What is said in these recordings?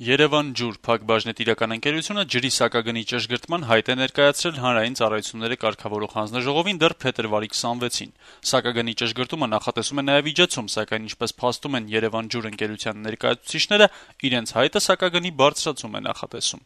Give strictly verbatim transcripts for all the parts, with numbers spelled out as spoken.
Երևան ջուր փակbaşնետիրական ընկերությունը ջրի սակագնի ճշգրտման հայտ է ներկայացրել Հանրային ծառայությունները կարգավորող հանձնաժողովին դեռ փետրվարի քսանվեցին։ Սակագնի ճշգրտումը նախատեսում է նաև իջեցում, սակայն ինչպես փաստում են Երևան ջուր ընկերության ներկայացուցիչները, իրենց հայտը սակագնի բարձրացում է նախատեսում։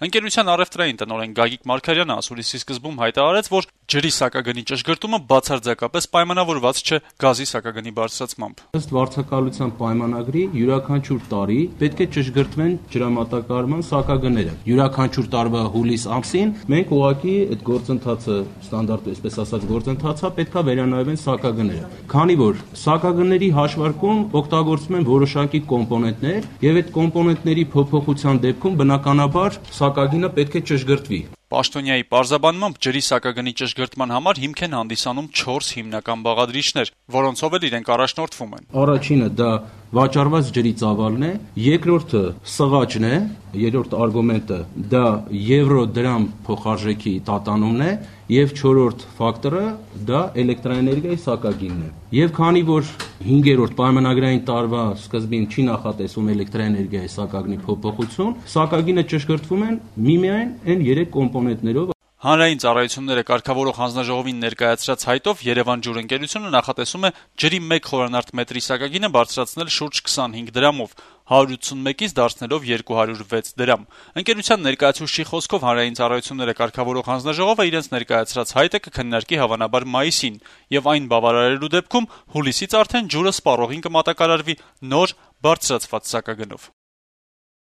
Ընկերության առևտրային տնօրեն Գագիկ Մարգարյանը ասուլիսի սկզբում հայտարարեց, որ ջրի սակագնի ճշգրտումը բացարձակապես պայմանավորված չէ գազի սակագնի բարձրացմամբ։ Ըստ վարձակալության պայմանագրի յուրաքանչյուր տարի պետք է ճշգրտվեն ջրամատակարարման սակագները։ Յուրաքանչյուր տարվա հուլիս ամսին մենք ուղղակի այդ գործընթացը ստանդարտ, այսպես ասած, գործընթացը պետքա վերանայվեն սակագները։ Քանի որ սակագների հաշվարկում օգտագործվում են որոշակի կոմպոնենտներ, եւ այդ կոմպոնենտների փոփոխության դեպքում բնականաբար սակագինը պետք է ճշգրտվի։ Պաշտոնյայի պարզաբանմամբ ջրի սակագնի ճշգրտման համար հիմք են հանդիսանում չորս հիմնական բաղադրիչներ, որոնցով էլ իրենք առաջնորդվում են։ Առաջինը դա վաճառված ջրի ծավալն է, երկրորդը սղաճն է, երրորդ արգումենտը դա եվրո-դրամ փոխարժեքի տատանումն է, եւ չորրորդ ֆակտորը դա էլեկտրաէներգիայի սակագինն է։ Եվ քանի որ հինգերորդ պայմանագրային տարվա սկզբին չի նախատեսվում էլեկտրաէներգիայի սակագնի փոփոխություն, սակագինը ճշգրտվում են միմիայն այն երեք կոմպոնենտներով։ Հանրային ծառայությունները կարգավորող հանձնաժողովին ներկայացրած հայտով Երևան ջուր ընկերությունը նախատեսում է ջրի մեկ խորանարդ մետրի սակագինը բարձրացնել շուրջ քսանհինգ դրամով, հարյուր ութսունմեկից դարձնելով երկու հարյուր վեց դրամ։ Ընկերության ներկայացուցչի խոսքով Հանրային ծառայությունները կարգավորող հանձնաժողովը իրենց ներկայացրած հայտը կքննարկի հավանաբար մայիսին, եւ այն բավարարելու դեպքում հուլիսից արդեն ջուրը սպառողին կմատակարարվի նոր բարձրացված սակագնով։